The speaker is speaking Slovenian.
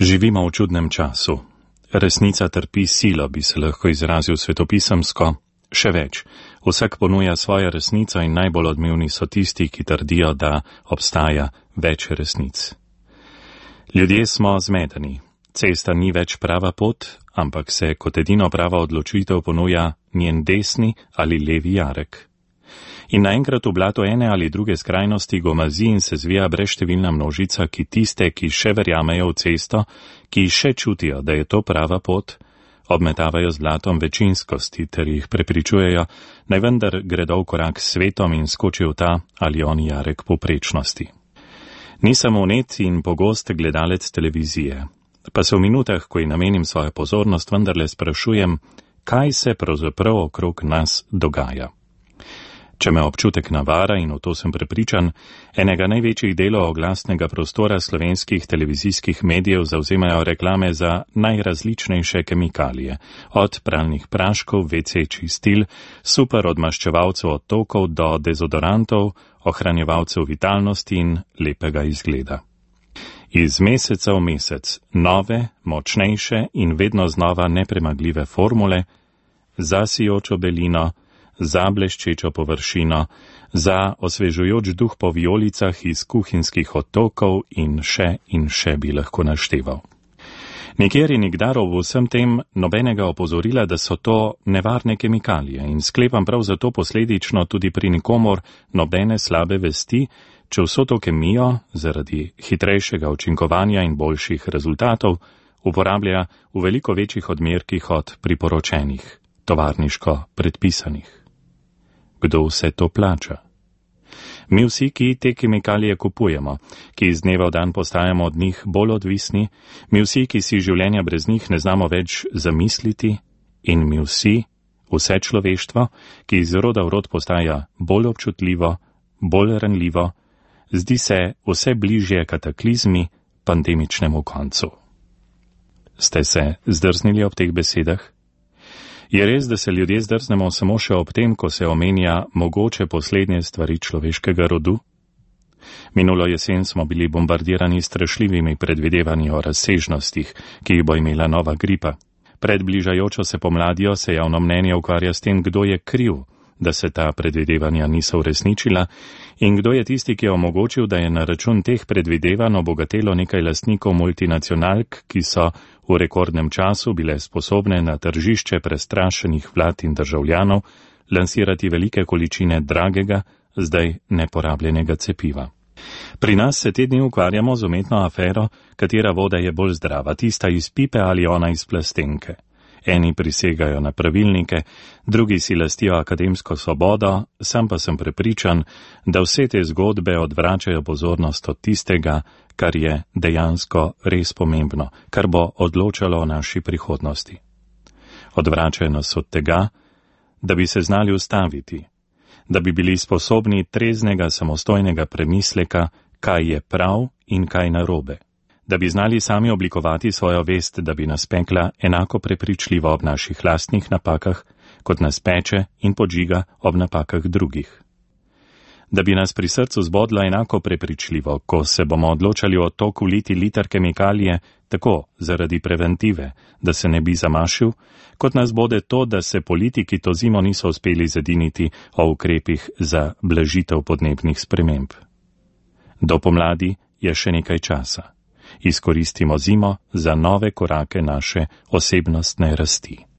Živimo v čudnem času. Resnica trpi silo, bi se lahko izrazil svetopisemsko. Še več, vsak ponuja svojo resnico in najbolj odmevni so tisti, ki trdijo, da obstaja več resnic. Ljudje smo zmedeni. Cesta ni več prava pot, ampak se kot edino prava odločitev ponuja njen desni ali levi jarek. In naenkrat v blato ene ali druge skrajnosti gomazi in se zvija brezštevilna množica, ki tiste, ki še verjamejo v cesto, ki še čutijo, da je to prava pot, obmetavajo z blatom večinskosti ter jih prepričujejo, naj vendar gredo v korak s svetom in skočijo v ta ali oni jarek povprečnosti. Nisem vnet in pogost gledalec televizije, pa se v minutah, ko ji namenim svojo pozornost, vendarle sprašujem, kaj se pravzaprav okrog nas dogaja. Če me občutek navara, in v to sem prepričan, enega največjih delov oglasnega prostora slovenskih televizijskih medijev zavzemajo reklame za najrazličnejše kemikalije, od pralnih praškov, WC čistil, super odmaščevalcev odtokov do dezodorantov, ohranjevalcev vitalnosti in lepega izgleda. Iz meseca v mesec nove, močnejše in vedno znova nepremagljive formule za sijočo belino, za bleščečo površino, za osvežujoč duh po vijolicah iz kuhinjskih odtokov in še bi lahko našteval. Nikjer in nikdar v vsem tem nobenega opozorila, da so to nevarne kemikalije in sklepam prav zato posledično tudi pri nikomor nobene slabe vesti, če vso to kemijo zaradi hitrejšega učinkovanja in boljših rezultatov uporablja v veliko večjih odmerkih od priporočenih, tovarniško predpisanih. Kdo vse to plača? Mi vsi, ki te kemikalije kupujemo, ki iz dneva v dan postajamo od njih bolj odvisni, mi vsi, ki si življenja brez njih ne znamo več zamisliti, in mi vsi, vse človeštvo, ki iz roda v rod postaja bolj občutljivo, bolj ranljivo, zdi se vse bližje kataklizmi, pandemičnemu koncu. Ste se zdrznili ob teh besedah? Je res, da se ljudje zdrznemo samo še ob tem, ko se omenja mogoče poslednje stvari človeškega rodu? Minulo jesen smo bili bombardirani strašljivimi predvidevanji o razsežnostih, ki jih bo imela nova gripa. Pred bližajočo se pomladjo se javno mnenje ukvarja s tem, kdo je kriv, da se ta predvidevanja niso uresničila in kdo je tisti, ki je omogočil, da je na račun teh predvidevanj obogatelo nekaj lastnikov multinacionalk, ki so v rekordnem času bile sposobne na tržišče prestrašenih vlad in državljanov lansirati velike količine dragega, zdaj neporabljenega cepiva. Pri nas se te dni ukvarjamo z umetno afero, katera voda je bolj zdrava, tista iz pipe ali ona iz plastenke. Eni prisegajo na pravilnike, drugi si lastijo akademsko svobodo, sam pa sem prepričan, da vse te zgodbe odvračajo pozornost od tistega, kar je dejansko res pomembno, kar bo odločalo o naši prihodnosti. Odvračajo nas od tega, da bi se znali ustaviti, da bi bili sposobni treznega samostojnega premisleka, kaj je prav in kaj narobe. Da bi znali sami oblikovati svojo vest, da bi nas pekla enako prepričljivo ob naših lastnih napakah, kot nas peče in podžiga ob napakah drugih. Da bi nas pri srcu zbodlo enako prepričljivo, ko se bomo odločali o toku liti liter kemikalije, tako zaradi preventive, da se ne bi zamašil, kot nas bode to, da se politiki to zimo niso uspeli zediniti o ukrepih za blažitev podnebnih sprememb. Do pomladi je še nekaj časa. Izkoristimo zimo za nove korake naše osebnostne rasti.